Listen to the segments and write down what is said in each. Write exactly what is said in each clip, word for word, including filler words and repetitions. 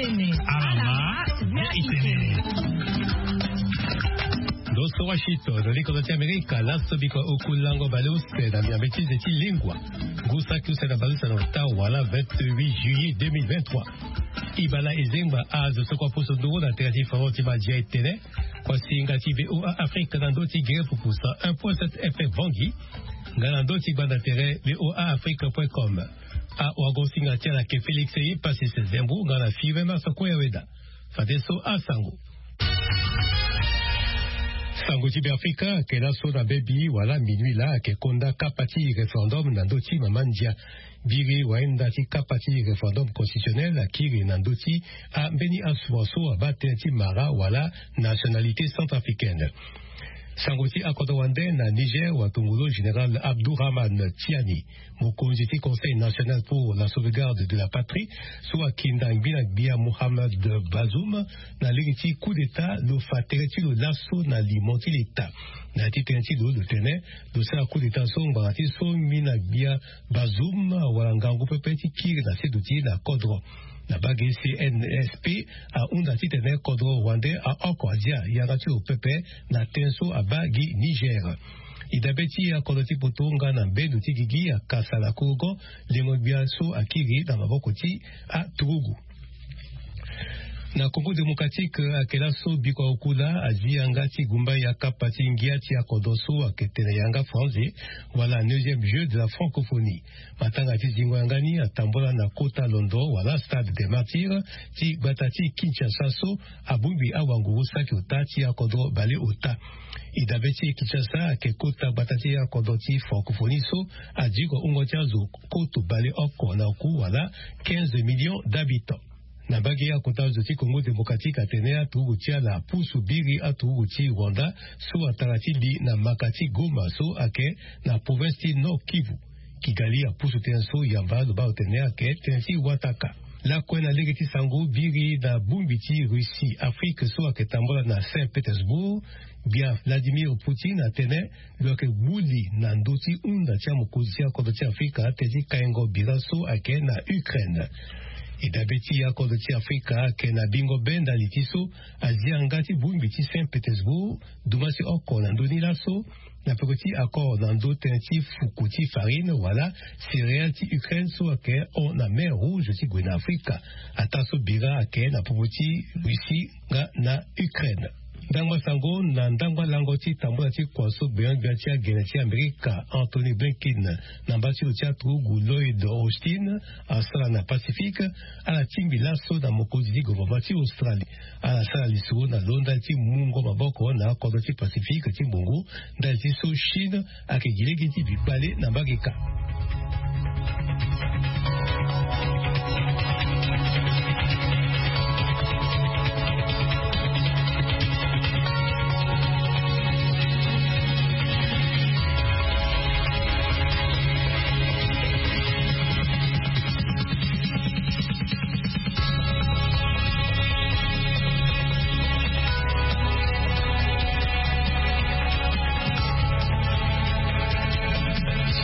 Alama na itene. Ndo so washington na likozo ti amerika laso biko oku lango baleuse na miambe ti ze ti lengua. Ngu saki use na baleuse na ota wala vingt-huit juillet deux mille vingt-trois. Ibala ezengba azo so kua poso nduru na tere ti faro ti madia etene. Kua singa ti voa afrique na ndo ti gere pupusa un point sept fm vangi. Nga na ndo ti gbanda tere voa afrique point com. Awago singa ti ala ke félix ye pasi se zembu nga na five mars kue ya weda. Fadeso asango. Sango ti beafrika ake laso na bebi wala minui laa ake konda kapa ti référendum na ndö ti mama ndia. Biri wahinda ti kapa ti référendum constitutionnel akiri na ndö ti ambeni asua so abaa tënë ti mara wala nationalité centrafricaine. Sango ti akodro wande na niger watongolo général abdourahman tiani, mokonzi ti conseil national pour la sauvegarde de la patrie, so akinda ngbina gbia mohammad bazoum na lege ti coup d'état lo fa tere ti lo laso na limo ti leta. Na ya ti tënë ti lo lo tene lo sara coup d'état so ngbanga ti so ngbina gbia bazoum awara ngangu pepe ti kiri na seduti na kodro. Na bage cnsp ahunda titene kodro wande aoko adia yanga ti lo pepe na ten so abaa gi niger. Idabe ti akodro ti poto nga na mbendo ti gigi akasa na korogo lengo gbia so akiri na maboko ti aturugu. Na congo démocratique ake laso biko akula azi yanga ti gumba ya kapa ti ngia ti akodro so ake tene yanga franze wala neuxième jeu de la francophonie. Matanga ti zingo yanga ni atambola na kota londo wala stade de martyre ti gbata ti kinshasa so abongbi awanguru saki ota ti akodro bale ota. Idabe ti kinshasa ake kota gbata ti akodro ti francophonie so adiko hungo ti azo koto bale oko na oku wala quinze millions d'habitants. Na mbage akota zo ti congo démocratique atene aturuku ti ala apusu biri aturuku ti rwanda so atara ti li na maka ti goma so ake na province ti nord kivu. Kigali apusu tënë so yamba lo baa lo tene ake tënë ti wataka. Lakue na lege ti sango biri na bongbi ti russie afrique so ake tambola na saint pétersbourg. Gbia vladimir poutine atene lo yeke gbu li na ndö ti hunda ti amokonzi ti akodro ti afrika tënë ti kaingo bira so ayeke na ukraine. Edabe ti akodro ti afrika ayeke na bingo be ndali ti so azia nga ti bongbi ti saint pétersbourg duma ti oko na ndö ni laso na peko ti accord na ndö tënë ti fuku ti farine wala céréale ti ukraine so ayeke hon na mer rouge ti gue na afrika. Ataa so bira ayeke na popo ti russie nga na ukraine. Ndangba sango na ndangba lango ti tambula ti kua so gbenyogbia ti agene ti amerika anthony blinken na mba ti lo ti aturugu lloyd austin asara na pacifique. Ala tingbi laso na mokonzi ti governement ti australie ala sara lisoro na lo ndali ti mungo maboko na kodro ti pacifique ti mbongo ndali ti so chine ayeke gi lege ti bi kpale na mbage ka.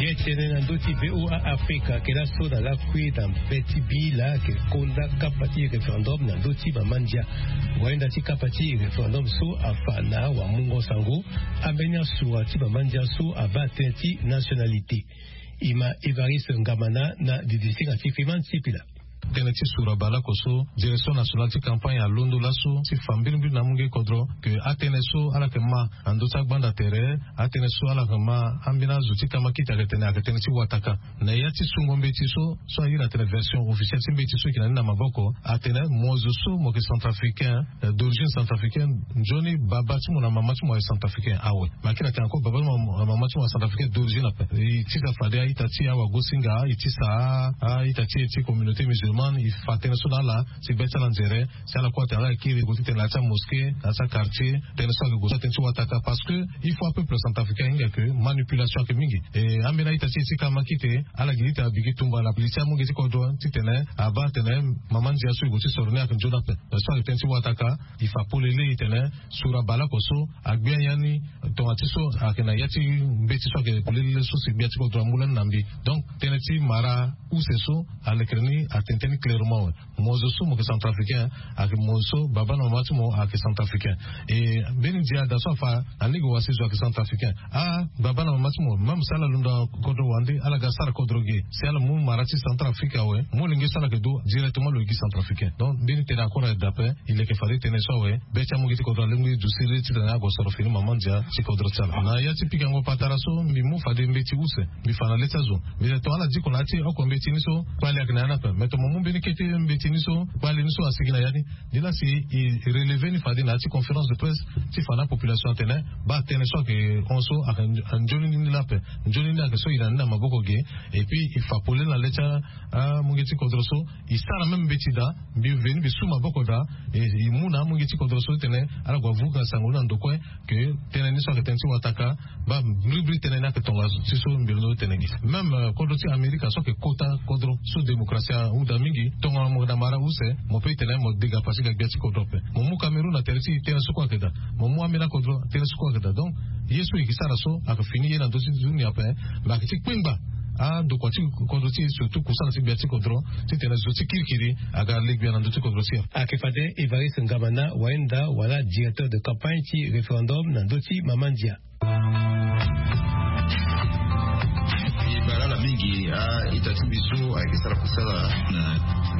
Ye tene na ndö ti voa afrika ayeke laso na lakui na mbe ti bi laa ayeke konda kapa ti référendum na ndö ti mama ndia. Wahinda ti kapa ti référendum so afa na wamungo sango ambeni asura ti mama ndia so abaa tënë ti nationalité. Ima evariste ngamana na didisinga ti freeman sipila. Tënë ti sura baleoko so direction nationale ti campagne alondo laso ti fa mbirimbiri na amunge kodro ke atënë so ala yeke ma na ndö ti agbanda tere atënë so ala yeke ma ambeni azo ti kamakiti ayeke tene ayeke tënë ti wataka. Na ya ti sungo mbeti so so airi atene version officielle ti mbeti so eke na ni na maboko atene mo zo so mo yeke centrafricain d'origine centrafricaine nzoni baba ti mo na mama ti mo aye centrafricain awe. Ma akiri atene encore baba ti mo na mama ti mo aye centrafricain d'origine ape. E tisa fade a-ita ti awagosinga e tisa a-ita ti e ti communauté musulmane e fa tënë so na ala si gbia ti ala nzere si ala kue atene ala kiri gue ti tene na ya ti amoské na ya ti aquartier. Tënë so ayeke gue so atënë ti wataka parce que il faut apeuple centrafricain ahinga ke manipulation ayeke mingi. E ambeni a-ita ti e ti kamakite ala gi ti tene abigi tumba na li ti amunge ti kodro titene abaa atene mama ndia so e gue ti soro ni ayeke nzoni ape. So ayeke tënë ti wataka. E fa polele e tene sura baleoko so agbia ya ni tonga ti so ayeke na ya ti mbeti so ayeke polele so si gbia ti kodro amu lani na mbi. Donc tënë ti mara use so alekere ni atene Teni clairement awe, mo zo so mo yeke centrafricain, ayeke mo so baba na mama ti mo ayeke centrafricain. E mbeni ndia da so afa, alege wasi zo ayeke centrafricain. Ah, baba na mama ti mo, même si ala londo na kodro wande, ala ga sara kodro ge. Si ala mu mara ti Centrafrique awe, molenge so ala yeke du directement lo yeke gi centrafricain. Donc mbeni tene akora dape. E leke fade tënë so awe, be ti amungi ti kodro alingbi duti siriri titene ague soro fini mama ndia ti kodro ti ala. Na ya ti pikango patara so mbi mu fade mbeti use, mbi fa na le ti azo. Mbi tene tonga ala diko na ya ti oko mbeti ni so kpali ayeke na ya ni ape. Me tongana mo mu mbeni kete mbeti ni so kpali ni so asigi na ya ni, ni laa si e relever ni fade na ya ti conférence de presse ti fa na apopulation atene baa tënë so ayeke hon so ayeke nzoni ni laa ape. Nzoni ni ayeke so e na ni na maboko ge. Et puis e fa polele na le ti amungi ti kodro so. E sara même mbeti daa, mbi veni mbi su maboko daa. E, e mu na amungi ti kodro so titene ala gue avuka sango ni na ndo kue. Ke tënë ni so ayeke tënë ti wataka. Baa bribribri tënë ni ayeke tongaso ti so mbi londo tene gi. Même kodro ti Amerika so ayeke kota kodro so démocratie ahunda mingi, tongana mo yeke na mara use, mo pe tene mo dega pasi ga gbia ti kodro ape. Mo mu Cameroun na tere ti tënë so kue ayeke daa. Mo mu ambeni akodro tënë so kue ayeke daa. Donc ye so e yeke sara so ayeke fini ye na ndö ti dunia ape. Me ayeke ti kpengba andokua ti kodro ti e, surtout kusana ti gbia ti kodro, titene zo ti kirikiri aga le gbia na ndö ti kodro ti e. Ayeke fade Evariste Ngamana, wayenda wala directeur de campagne ti référendum na ndö ti mama ndia. E bale ala mingi a-ita ti mbi so ayeke sara kusala na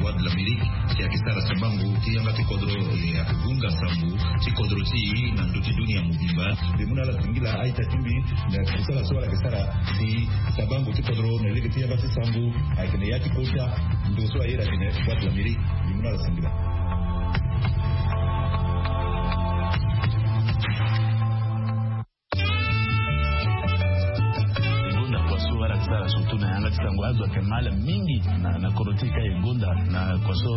Voix de l'Amérique, si ayeke sara sabango ti yanga ti kodro, e, ayeke gunga sambu ti kodro ti e na ndö ti dunia mobimba. Mbi mu na ala singila a-ita ti mbi na kusala so ala yeke sara si sabango ti kodro na lege ti yanga ti sango ayeke na ya ti kota ndo so aye na tene Voix de l'Amérique. Mbi mu na ala singila. Gonda kua so ala yeke sara surtout na yanga ti sango, azo ayeke mal mingi na, na kodro ti e ka e gonda na kua so,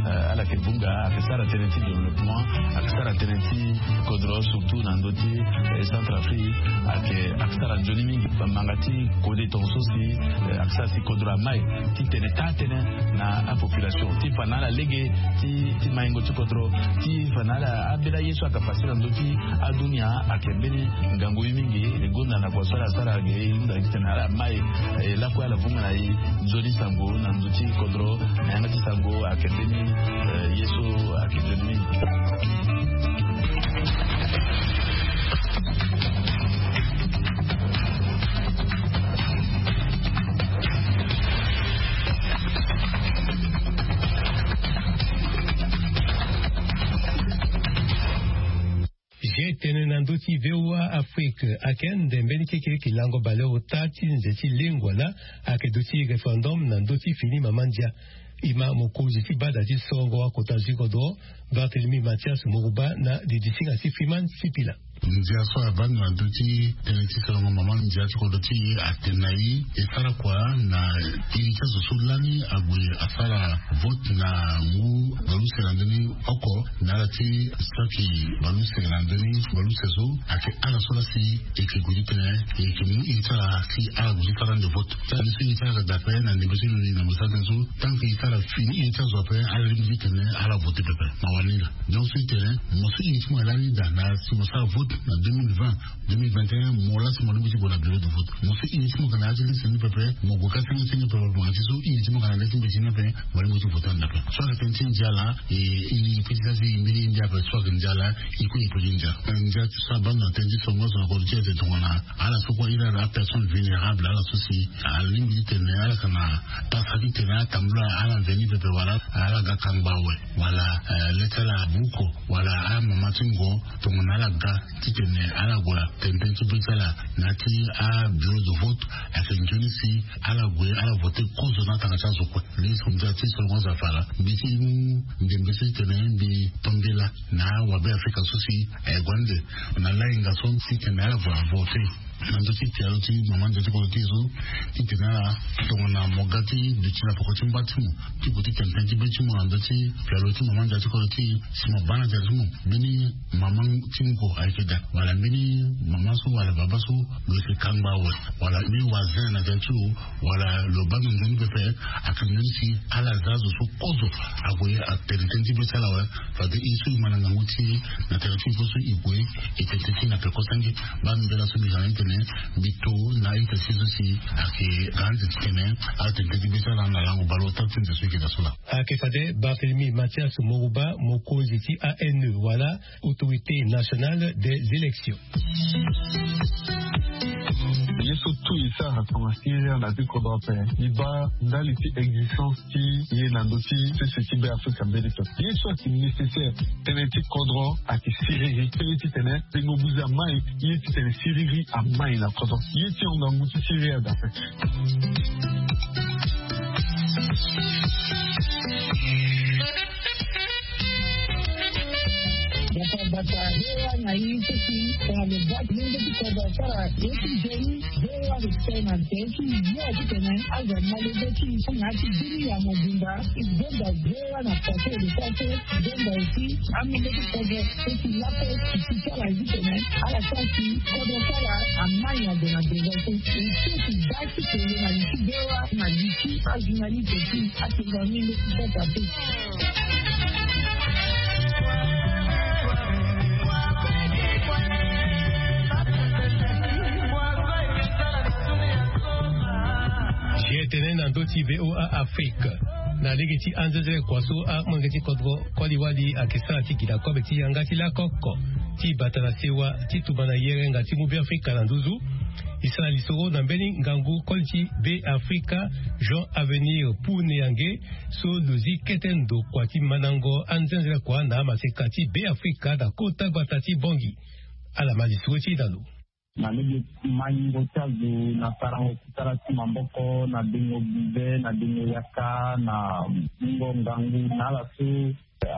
eh, ala yeke vunga, ayeke sara tënë ti développement, ayeke sara tënë ti kodro surtout na ndö ti, eh, Centrafrique, ayeke, ayeke sara nzoni mingi. Bamanga ti kode tongaso si, eh, ayeke sara si kodro amai titene taa tënë na apopulation ti fa na ala lege ti, ti maingo ti kodro, ti fa na ala ambeni aye so ayeke pase na ndö ti adunia. Ayeke mbeni ngangu ye mingi. E gonda na kua so ala sara ge, e hunda titene ala mai, e lakue ala vunga na e nzoni sango na ndö ti kodro na yanga ti sango ayeke mbeni, eh, ye so ayeke nzoni mingi. Ge tene na ndö ti V O A Afrique, ayeke ande mbeni keke yeke lango baleota ti nze ti lengua laa ayeke duti référendum na ndö ti fini mama ndia. E ma mokonzi ti bada ti sorongo akota zi kodro, Barthélemy Mathias Morouba na didisinga ti Freeman Sipila. Ndia so avanda na ndö ti tënë ti sorongo mama ndia ti kodro ti e atene na e e sara kua na iri ti azo so lani ague asara vote na ngu baleuse na ndö ni oko na ala ti saki baleuse na ndö ni baleuse so ayeke ala so laa si e yeke gue ti tene e yeke mu iri ti ala si ala gue ti sara ande vote. Tënë so iri ti ala ayeke daa ape na ndembe so e londo na mo sara tënë so tant que e sara fini iri ti azo ape ala lingbi ti tene ala vote pepe. Mawa ni laa. Donc so e tene mo so iri ti mo ayeke lani daa na si mo sara vote na deux mille vingt, deux mille vingt et un, mo laa si mo lingbi ti gue na bureau de vote. Mo so iri ti mo ayeke na ya ti liste ni pepe, mo gue ka senge senge pepe, mo na ti so iri ti mo ayeke na le ti mbeti ni ape, mo lingbi ti vote ande ape. So ayeke tënë ti ndia laa, e, e, e peut ti sara si e mbeni ye ndia ape so ayeke ndia laa, e kue e peut ti ndia. Ndia ti so abando na tënë ti sorongo azo na kodro ti e tongana ala so kue iri ala personne vulnérable, ala so si alingbi ti tene ala yeke na pasa ti tene atambula ala mveni pepe wala ala ga kangba awe wala, eh, le ti ala abuko wala amama ti ngo tongana ala ga titene ala gue tene tënë ti be ti ala na ya ti abureau de vote. Ayeke nzoni si ala gue ala vote kozo na atanga ti azo kue. Lege so ndia ti sorongo azo afa laa mbi ti mu ndembe so ti tene mbi to mbela na awabe Afrika so si aye gue ande na lahinga so ti tene ala gue avote na ndö ti pialo ti mama ndia ti kodro ti e so, titene ala tongana mo ga ti duti na peko ti mba ti mo ti gue ti tene tënë ti be ti mo na ndö ti pialo ti mama ndia ti kodro ti e si mo baa na ndia ti mo mbeni mama ti ngo ayeke daa wala mbeni mama so wala baba so lo yeke kangba awe wala mbeni wazin na ndia ti lo wala lo baa na nzoni pepe. Ayeke nzoni si ala za azo so kozo ague atene tënë ti be ti ala awe. Fade e so e ma na ngangu ti e na tere ti e so e gue e tene tënë ti e na peko senge. Baa mbela so mbi za na ni tene Mbi to na ita si so si ayeke ga anze titene ala tene teti besa laa na lango baleota ti nze so eke daa so laa. Ayeke fade Barthélemy Mathias Moruba, mokonzi ti A N E wala Autorité Nationale des Élections. Ye so tout e sara tonga siriri na ti kodro ape. E baa ndali ti existence ti ye na ndö ti sese ti Be Afrika mbeni to. Ye so ayeke nécessaire tënë ti kodro ayeke siriri, tënë titene tengo buze amai. Ye titene siriri amai na kodro. Ye ti hon ngangu ti siriri adape. Bata bata hewa na ye so si tongana lo baa ti lenge ti kodro asara ye ti nzoni. Hewa lo tene na nze ti yo titene azo amale be ti so na ya ti bini ya mobimba. Zonza hewa na pase lo sara so zonza aussi amenge ti kodro so si lape ti ti sara ye titene ala sara si kodro sara amai na ndo na ndo so. E so ti baa ti kele na li ti hewa na li ti ajournaliste ti atonga mingi ti sasa te. Ye tene na ndö ti V O A Afrique. Na lege ti anzenzele kua so amolenge ti kodro koli-wali ayeke sara ti gi na kobe ti yanga ti lakoko ti bata na sewa ti tumba na yerenga ti mu Be Afrika na nduzu. E sara lisoro na mbeni ngangu koli ti Be Afrika, Jean Avenir Pouneyange, so lo zi kete ndo kua ti mandango anzenzele kua na amaseka ti Be Afrika na kota gbata ti Bangui. Ala ma lisoro ti e na lo. Na lege maingo ti azo na sarango ti sara ti maboko na dengo bize na dengo yaka na mungo ngangu na ala so.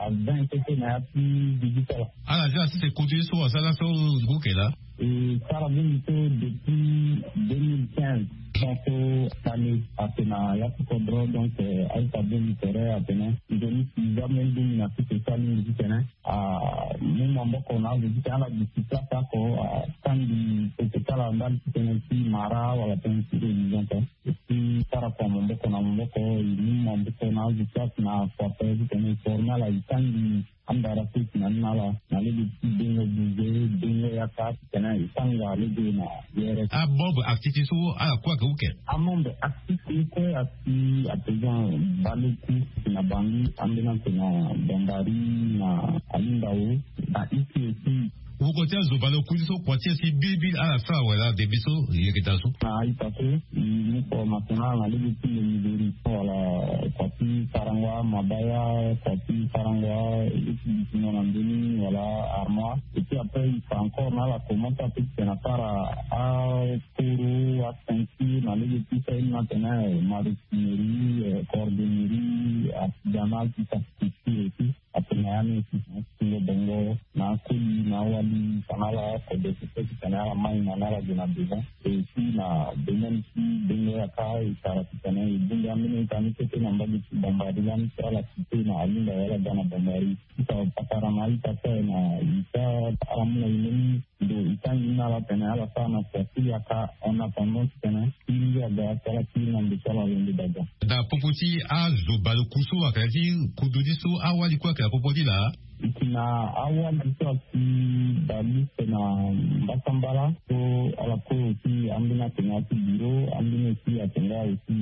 Avin kete na ya ti digitala. Ala zi ala sese kutu ye so asara so ngu ke laa. E sara bongi so depuis deux mille quinze. Donc tale ake na ya ti kodro donc aita bongi tere atene nzoni si jamais ndungi na sese sara mingi titene amu maboko na azo titene ala gi ti place oko atangi peko ti ala ndali titene ti mara wala tënë ti religion te. E ti sara kua maboko na maboko e mu maboko na azo ti ake na kua pe titene e forme ala e tangi andara so e si na ni na ala na lege ti dengo bize dengo yaka titene e tanga lege na yere. Amembre actif ti so ala kue ayeke uke. Amembre actif ye kue asi à présent baleku na Bangui ambeni ake na Bambari na Alimbao na Isi aussi. Woko ti azo baleku ti so kua ti e si bilibili ala sara wala debit so yeke daa so. Na a-ita so e mu kua national na lege ti menuiserie wala kua ti sarango amabaya kua ti sarango a ye ti dutingo na ndö ni wala armoire. Et puis après e fa encore na ala commence ape titene asara akoro aceinture na lege ti so aye ni atene maroquinerie, cordonnerie, artisanal ti sa structure aussi. Atene ya ni aussi na tingo bongo na akoli na awali fa na ala kode ti pe titene ala mai na ni ala gue na devant. Et aussi na domaine ti dengo yaka e sara titene e bongbi ambeni ita ni kete na mbage ti Bambari lani so ala cité na Alinda wala ga na Bambari. Ita patara na ita so aye na ita ala mu na e mbeni ndo e tangi ni na ala tene ala sara na kua ti yaka en attendant titene kiri aga ti ala kiri na ndo ti ala lo nde daga. Na popo ti azo baleku so ayeke na ya ti kodro ni so awali kue ayeke na popo ni laa. E yeke na awali so asi baliste na mbasambala so ala kue aussi ambeni atene ya ti bureau ambeni aussi atene ya aussi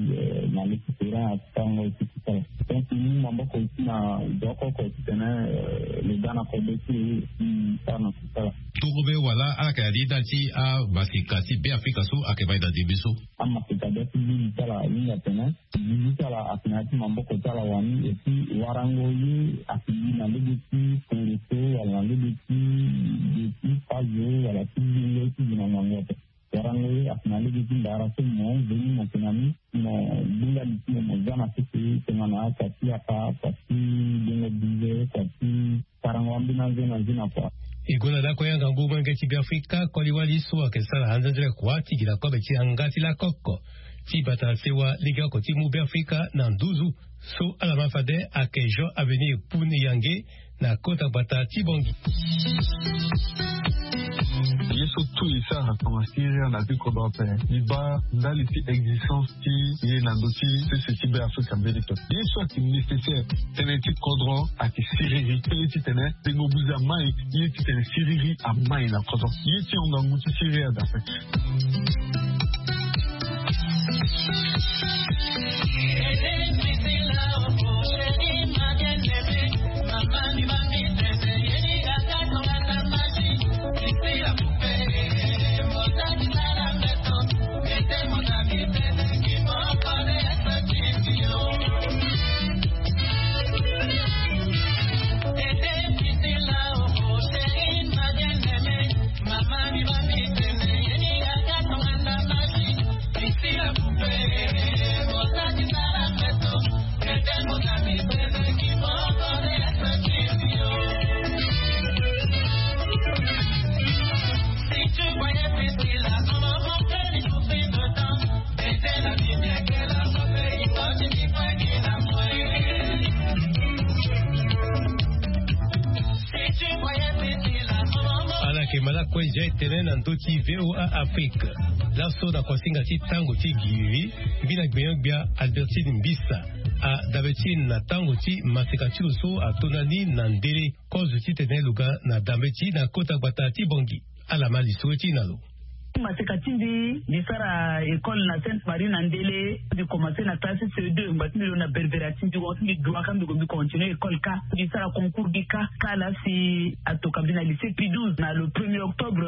na le ti terrain asi tango aussi. Donc e mu maboko aussi na zo oko oko titene lo ga na kode ti e aussi sara na sosala. Torobe wala ala yeke na li ndali ti amaseka ti Be Afrika so ayeke mai na ndembe so. Amaseka bia ti vili ti ala ahinga atene vili ti ala ayeke na ya ti maboko ti ala wani et puis warango ye ayeke gi na lege ti koro so wala na lege ti ge ti fazo wala ti vili ye ti gi na ngangu ape. Warango ye ayeke na lege ti ndara so mo veni mo yeke na ni mo gbinga li ti mo mo za na sese tongana kua ti yaka kua ti dengo bize kua ti sarango ambeni anze na nze na kua. E gue na lakue yanga ngu molenge ti Be Afrika koli-wali so ayeke sara anzenzele kua ti gi na kobe ti yanga ti lakoko. Ti bata sewa lege oko ti mu be afrika na nduzu. So ala ma fade ayeke jean avenir pun yange na kota gbata ti bongi. Ye so tout e sara na tonga siriri na afrika kodro ape. E baa ndali ti existence ti ye na ndö ti sese ti be afrika mbeni pe. Ye so ayeke nécessaire tënë ti kodro ayeke siriri tënë titene tengo buzi amai. Ye titene siriri amai na kodro ye ti honga ngu ti siriri adape. Ala yeke malako eza etene na ndö ti voa afrique. Laso na kosinga ti tango ti giri, mbi na gbenyo-gbia albertine mbisa adabe ti e na tango ti maseka ti lo so atonda ni na ndele kozo titene lo ga na dambe ti e na kota gbata ti bongi. Ala ma lisoro ti e na lo. Maseka ti mbi mbi sara école na sainte marie na ndele. Mbi komanse na classe ce deux ngba ti mbi lo na berbera ti mbi wa ti mbi dua ka mbi ko mbi continue école ka. Mbi sara concours mbi ka ka la si atoka mbi na lycée pi douze na le premier octobre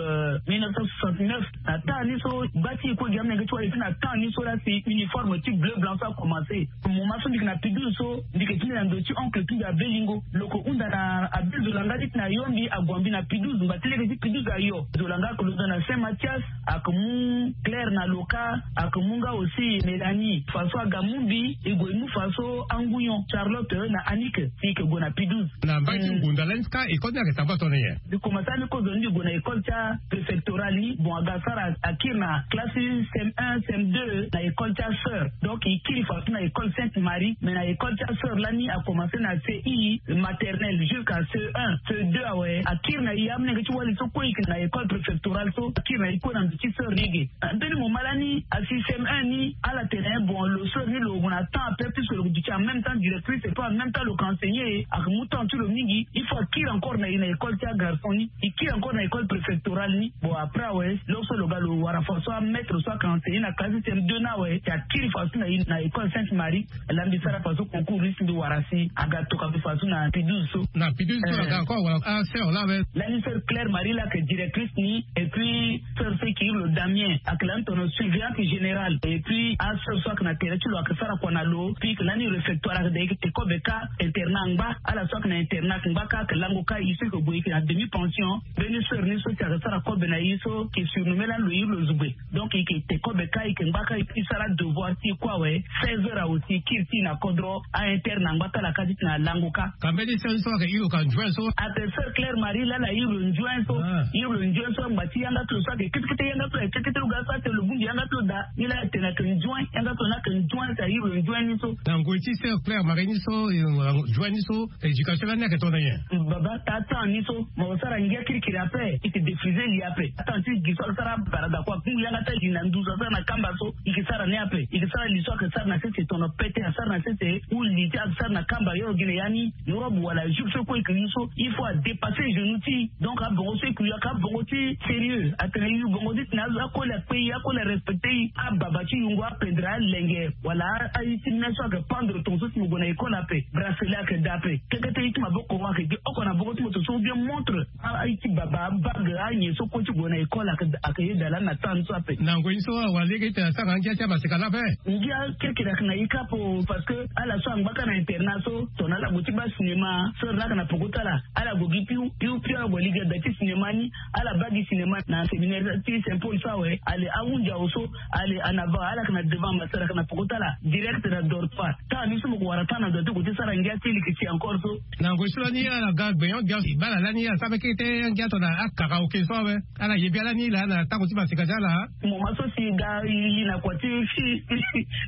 mille neuf cent soixante-neuf. Na temps ni so gba ti e kue gi amenge ti wali ti na temps ni so la si uniforme ti bleu blanc so akomanse. Moment so mbi yeke na pi douze so mbi yeke ti mbi na ndo ti oncle ti mbi abelingo lo yeke hunda na abe zolanga ti ti na yo mbi ague mbi na pi douze ngba ti lege ti pi douze ayo zolanga ayeke londo na saint mathias. Ayeke mu claire na loka. Ayeke mu nga aussi mélanie façon aga mu mbi e gue e mu façon angunyon charlotte na annick si e yeke gue na pi douze. Na mbai ti ngunda lani ti ka école ni ayeke samba tongana nyen? Mbi komanse ani kozo ni mbi gue na école ti apréfectoral ni bon aga sara akiri na classe cm un cm deux na école ti aseur. Donc e kiri façon na école sainte marie mais na école ti aseur lani akomanse na ce i maternelle jusqu'à ce un ce deux awe akiri na e amolenge ti wali so kue e yeke na école préfectorale so akiri na e kue na ndo ti seur lege. Mbeni moment lani asi cm un ni ala tene bon lo seur ni lo gue na temps ape puisque lo duti en même temps directrice et puis en même temps lo yeke enseigner. Ayeke mu temps ti lo mingi il faut akiri encore na e na école ti agarçon ni. E kiri encore na école préfectorale ni bon après awe lo so lo ga lo wara façon amaître so ayeke enseigner na classe cm deux ni awe si akiri façon na e na école sainte marie. Laa mbi sara façon concours ni si mbi wara si aga toka mbi façon na pi douze so. Na pi douze so aga encore wala aseur laa awe. Lani sœur claire marie laa ayeke directrice ni et puis sœur so e ke iri lo damien ayeke lani tono surveillante générale et puis asœur so ayeke na tere ti lo ayeke sara kua na lo. Puis e ke lani réfectoire ayeke da e ke te kobe kâ internat angba. Ala so ayeke na internat ayeke ngba kâ ayeke lango kâ e so e ke gue e ke na demi pension. Mbeni sœur ni so si ayeke sara kobe na e so e ke surnomme lani lo iri lo zugbe. Donc e ke te kobe kâ e ke ngba kâ e ke sara adevoir ti e kue awe. Seize heures awe si e kiri ti e na kodro. Ainterne angba kâ ala kâ ti tena alango kâ. Ka mbeni sœur ni so ayeke iri lo ka nzuen so? Ayeke sœur claire marie laa ala iri lo nzuen so. Iri lo nzuen so ngba ti yanga ti lo so ayeke ketekete yanga ti lo ayeke ketekete lo ga so atene lo bongbi yanga ti lo daa. Ni laa atene ayeke nzuen yanga ti lo ni ayeke nzuen si airi lo nzuen ni so. Na ngoi ti sœur claire marie ni so nzuen ni so éducation lani ayeke tongana nyen? Baba taa temps ni so mo sara ngia kirikiri ape. E ke défriser li ape. Atanti gi so asara barada kua kungu yanga ti ali na nduzu asara na kamba so. E ke sara ni ape e ke sara li so ayeke sara na sese tono pete asara na sese. Ou li ti ayeke sara na kamba yo gi na ya ni. Robe wala jupe so kue e ke yu so il faut adépasser genou ti. Donc abongo so e ke yu ayeke abongo ti sérieux atene e yu bongo ti tena azo akoli akpe e akoli arespecte e. Ababa ti yungo apendre alenge wala aye ti me so ayeke pendre tonga so si mo gue na école ape. Bracelet ayeke daa ape. Keke ti aye ti maboko ayeke gi oko na boko ti mo tonga so ou bien montre. Aye ti baba abague anyen so kue ti gue na école ayeke ye daa lani na temps ni so ape. Na ngoi ni so awara lege ti tena sara na ngia ti amaseka laa ape. Ngia kirikiri ayeke na e kâ ape. Parce que ala so angba kâ na internat so tongana ala gue ti baa cinéma so laa ayeke na poko ti ala. Ala gue gi piu piu piu ala gue lege da ti cinéma ni. Ala baa gi cinéma na séminaire ti saint paul so awe. Ale ahunzi awe so. Ale ana va ala yeke na devant masara yeke na poko ti ala direct na dortoir. Tanga ni so mo ko wara tanga na ndo ti gue ti sara ngia ti leke ti encore so. Na ngoi so lani ala ga gbenyo gbia si baa ala lani ala sara mbeke te angia to na akaraoke so awe. Ala ye bia lani laa na tango ti masika ti ala. Moma so si ga e li na kua ti fi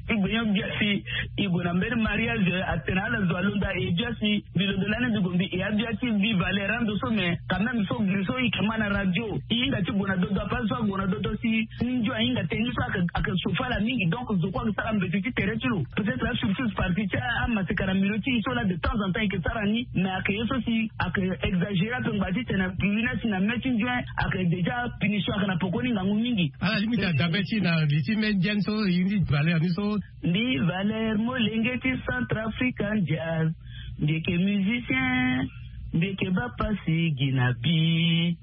ti gbenyo gbia si e gue na mbeni mariage atene ala zo alonda e bia si mbi londo lani mbi gue mbi e abia ti mbi valeur ando so mais quand même so giri so e yeke ma na radio e hinga ti gue na dodo ape so ague na dodo si ni ndio ahinga tënë ni so ayeke sofa ala mingi donc zo kue ayeke sara mbeti ti tere ti lo. Peut-être asurtout parti ti amaseka na milo ti e so laa de temps en temps e yeke sara ni mais ayeke ye so si ayeke exagéré ape ngba titene na purina si na mai ti nzuen ayeke déjà punition ayeke na poko ni ngangu mingi. Ala limite adabe ti na li ti mai nzuen so e ni valeur ni so. Mbi valeur molenge ti centrafrican jazz. Mbi yeke musicien. Mbi yeke baa pasi gi na bi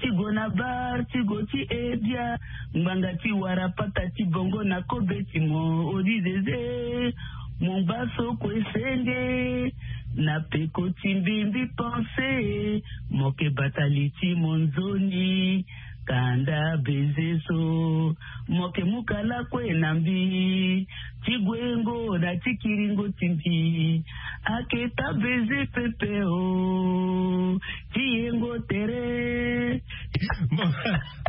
ti go na bar ti go ti ebia ngbanga ti wara pata ti bongo na kobe ti mo odizeze. Mo ngba so kue senge na peko ti mbi mbi pense. Mo ke bata li ti mo nzoni kanda beze so. Mo ke mu kala kue na mbi ti guengo na ti kiringo ti mbi. Aketa beze pepe o ti yengo tere. Bon,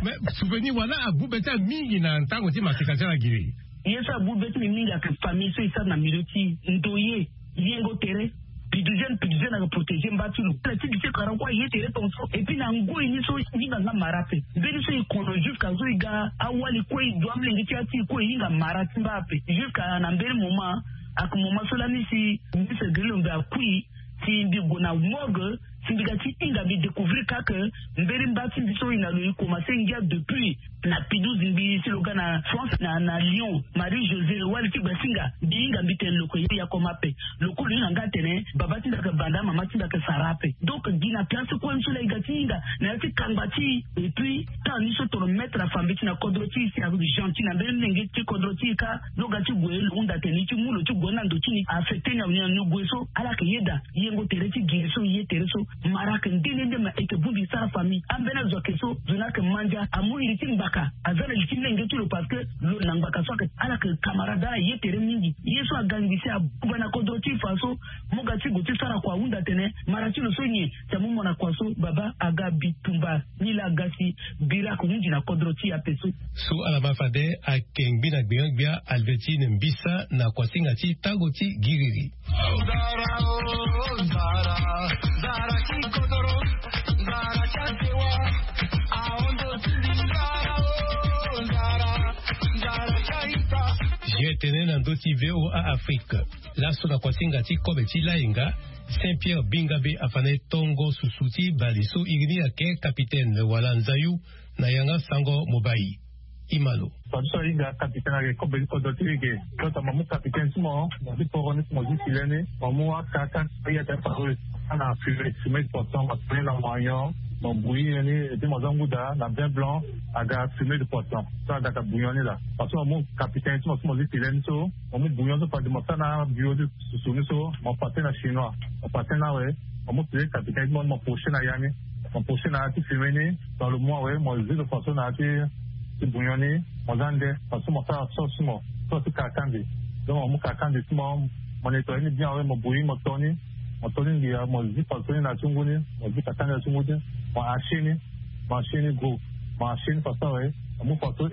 mais souvenir wana abu be ti ala mingi na ntango ti masika ti ala giri. Ye so abu be ti mbi mingi ayeke famille so e sara na milieu ti ndoye yengo tere. Pidu jeune pidu jeune ayeke protégé mba ti lo ala ti gise kara kue aye tere tongaso et puis na ngoi ni so hinga nga mara ape. Mbeni so e kono jusqu'à so e ga awali kue e du amolenge ti ya ti e kue e hinga mara ti mba ape jusqu'à na mbeni moment. Ayeke moment so lani si ministre grillo mbi akui si mbi gue na morgue si mbi ga ti hinga mbi découvrir kake mbeni mba ti mbi so e na lo e commencé ngia depuis na pidouze mbi si lo ga na france na na lyon marie josé wali ti gbasinga mbi hinga mbi tene lo ke ye ya koma ape. Lo kue lo hinga nga atene baba ti mbi ayeke banda mama ti mbi ayeke sara ape. Donc gi na place kue ni so laa e ga ti hinga na ya ti kangba ti e et puis temps ni so toro maître afa mbeti na kodro ti e si ayeke gentil na mbeni mlenge ti kodro ti e kâ. Lo ga ti gue lo hunda atene e ti mu lo ti gue ni na ndo ti ni affecté ni awe ni na ni gue so ala yeke yeda yengo tere ti giri so ye tere so. Mara ayeke nde nde nde ma e yeke bongbi sara famille ambeni azo ayeke so zo ni ayeke ma ndia amu iri ti ngbaka aza na li ti menge ti lo parce que lo na ngbaka so ayeke ala yeke camarade ala ye tere mingi. Ye so aga ngbisi abuba na kodro ti e fa so mo ga ti gue ti sara kua ahunda atene mara ti lo so nyen si amu mo na kua so baba aga bitumba. Ni laa aga si biri ayeke hunzi na kodro ti e ape so. So ala ma fade ayeke ngbi na gbenyo-gbia albertine mbisa na kuasinga ti tango ti giriri. Ye tene na ndö ti voa afrique. Laso na kuasinga ti kobe ti lainga saint pierre bingabe afa na e tongo susu ti bale so iri ni ayeke capitaine wala nzayu. Na yanga sango mobai. Imalo. Fa ti so ahinga capitaine ayeke kobe ti kodro ti e ge. Tota mo mu capitaine ti mo mo ti poro ni ti mo ti file ni mo mu akaka. Aye ata paro ana fumé fumé de poisson mo tene na mo anyon. Mo bouillir ni et puis mo za nguda na vin blanc. Aga fumé de poisson so agaka bouillon ni laa. Parce que mo mu capitaine ti mo so mo ti file ni so mo mu bouillon so fade mo sara na bio ti susu ni so mo pase na chinois. Mo pase na awe mo mu fumé capitaine ti mo ni mo poche na ya ni. Mo poche na ya ti fumé ni. Dans le mois awe mo zi lo façon na ya ti ti bouillon ni. Mo za nde façon mo sara sauce ti mo sauce ti kakandi. Donc mo mu kakandi ti mo mo nettoyer ni bien awe mo bouillir mo to ni. Mo to ni ngia mo zi façon ni na ti ngu ni. Mo zi kakandi na ti ngu ni. Mo hacher ni. Mo hacher ni gros. Mo hacher ni façon awe mo mu façon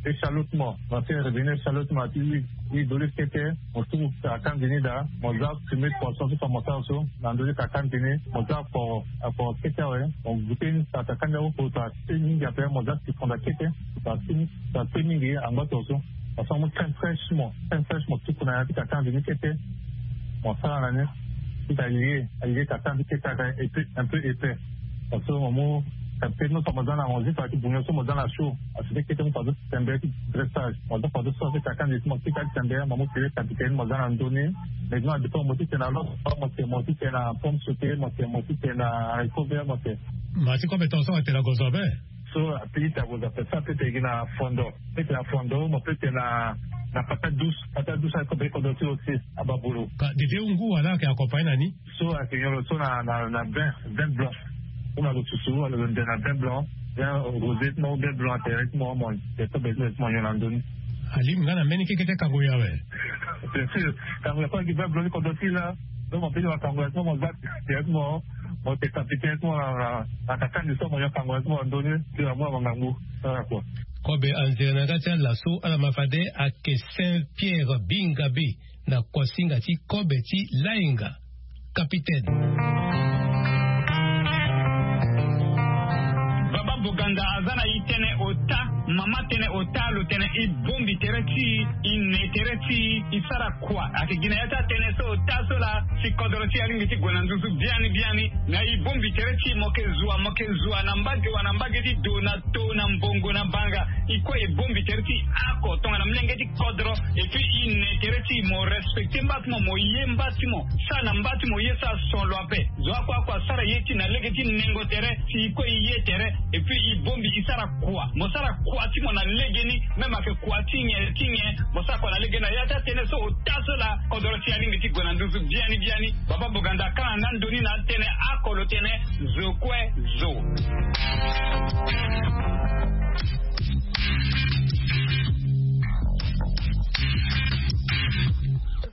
échalote ti mo. Mo fait revenir échalote ti mo na ti huile d'olive kete. Mo tuku kakandi ni daa mo za fumé de poisson so fa mo sara so. Na ndö ti kakandi ni mo za akoro akoro kete awe. Mo goûter ni sa kakandi awe. Kota ti mingi ape mo za sikonda kete. Sa ti mingi angba tongaso. Parce que mo mu crème fraîche ti mo crème fraîche mo tuku na ya ti kakandi ni kete. Mo sara na ni ti ka lie alie kakandi kete aka un peu épais. Parce que mo mu capitaine ni so mo za na mo zi fa ti bouillon so mo za na chaud. Asi ti kete mo fa so ti tembe ti dressage mo za fa so so ti kakandi ti mo ti ka ti tembe mo mu pire capitaine mo za na ndö ni. Mais non adépend mo ti tene na loso mo tene mo ti tene na pomme sauté mo tene mo ti tene na haricot vert mo tene. Ma ti kobe tongaso atene na gozo abe. So ape ita gozo ape so ape tene gi na fondo. Pe tene na fondo mo pe tene na Na patate douce, patate douce akobe kodro ti lo si. Ababulu. Ka dede ngu wala ayeke accompagné na ni? So ayeke nyon lo so na na na vin, vin blanc. Ou na lo susu wala lo nde na vin blanc, vin rosé ti mo ou vin blanc atere ti mo mo. Te kobe ti mo nyon na ndoni. Alingbi nga na mbeni keke ti akango ya awe. Bien sûr. Kango ya kue gi vin blanc ni kodro ti la. Donc mo peni mo kango ya ti mo mo za. Ti mo mo te kapite ti mo na na na kakani so mo nyon kango ya ti mo na ndoni. Ti na mo na mo ngangu. Sara kua. Kobe anzere na nga ti ala so ala ma fade ayeke Saint Pierre Bingabe, na kuasinga ti kobe ti lainga. Capitaine. Baba Boganda aza na e tënë ota, mama tënë ota, lo tene e bongbi tere ti e, e ne tere ti e, e sara kua. Ayeke gi na ya ti atënë so ota so laa si kodro ti e alingbi ti gue na nduzu biani biani. Na e bongbi tere ti e, mo yeke zua, mo yeke zua na mbage wa na mbage ti do na to na mbongo na banga. E kue e bongbi tere ti e oko tongana molenge ti kodro. Et puis e ne tere ti e, mo respecté mba ti mo, mo ye mba ti mo, sara na mba ti mo ye, sara son lo ape. Zo oko oko asara ye ti e na lege ti nengo tere, si e kue e ye tere. Et puis e bongbi e sara kua, mo sara kua ti mo na legeni. Même ayeke kua ti nyen ti nyen, mo sara kua na legeni. Na ya ti atënë so ota so laa kodro ti e alingbi ti gue na nduzu biani biani. Baba Boganda akanga nga ndoni na atënë oko lo tene zo kue zo.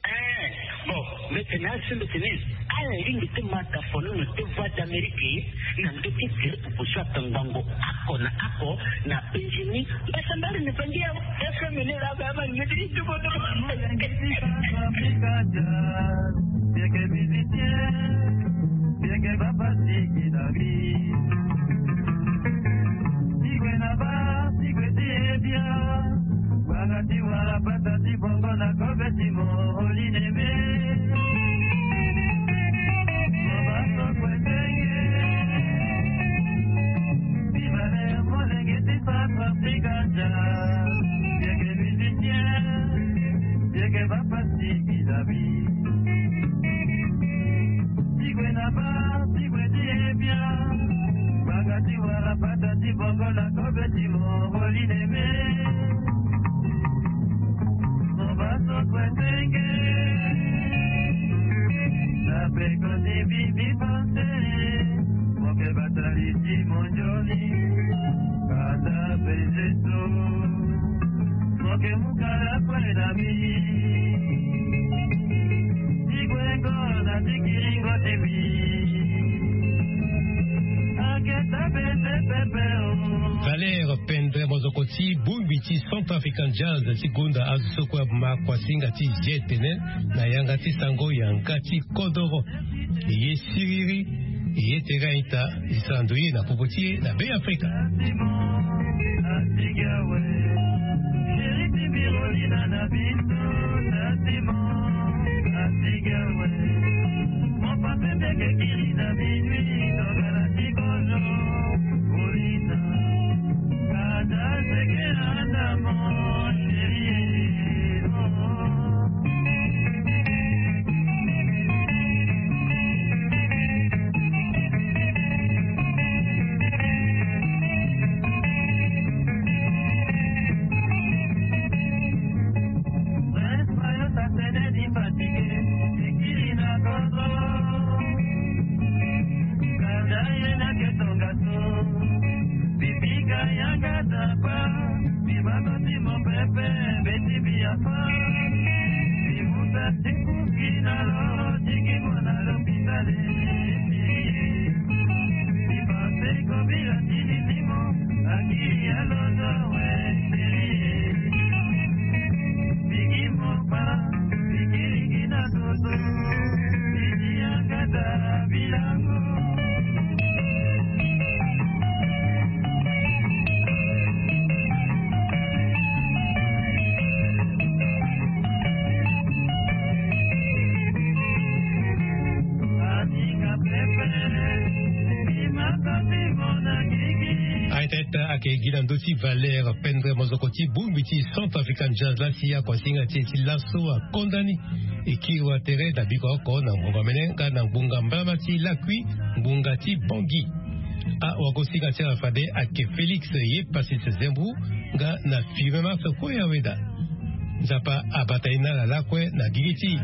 Eh, bon, mbeti na asi mbeti ni. Ala lingbi ti ma tafonono ti Voix d'Amérique na ndö ti gere popo so atangbangbo oko na oko na penzi ni. Mbasambari ni pangi ya F M ni la ba ma ngeti ti tuko to. Bieke musicien, bieke bapasi ki na bi. Tigwe na ba, tigwe ti ebia. Banga ti wara pata ti bongo na kobe ti mo olineme. Mo ba so kue tenge. Viva le molenge ti Centrafrique. Bieke musicien, bieke bapasi ki na bi. Tigwe na ba, tigwe ti ebia. Banga ti wara pata ti bongo na kobe ti mo olineme. Mo ba so kue tenge. Na peko ti bibi panse. Mo ke batali ti mo nzoni. Kanda pezeto. Mo ke mu kala kue na bi. Ti kue ngo na ti kiringo ti bi. Aketa pese pepe o. Valère Pendre Mozoko ti bongbi ti Centrafrican Jazz ti gonda azo so kue ama kuasinga ti je tene na yanga ti sango yanga ti kodoro. E ye siriri, e ye tere a-ita, e sara ndoye na popo ti e na Beafrika. Bibika yanga dapa, bibalo ti mopepe, beti biafa. Bibuta ti kuki na lo, tiki mo na lopitale. Bipanse kobila tini ti mo, akili ya lozo we. Bigi mo pa, bigi ligi na toto, bigi yanga da bilango. Aita ita ake gi na ndö ti Valère Pendre Mozoko ti bongbi ti Centrafrican Jazz laa si akuasinga ti e ti laso akonda ni. E kiri wa tere na biko oko na ngbonga mene nga na ngbonga mbalama ti lakui, ngbonga ti Bangui. Awagosinga ti ala fade ayeke Félix Ye Passis Zembou nga na Firmin Marc Koya Weda. Nzapa abata ye na ala lakue na gigi ti e.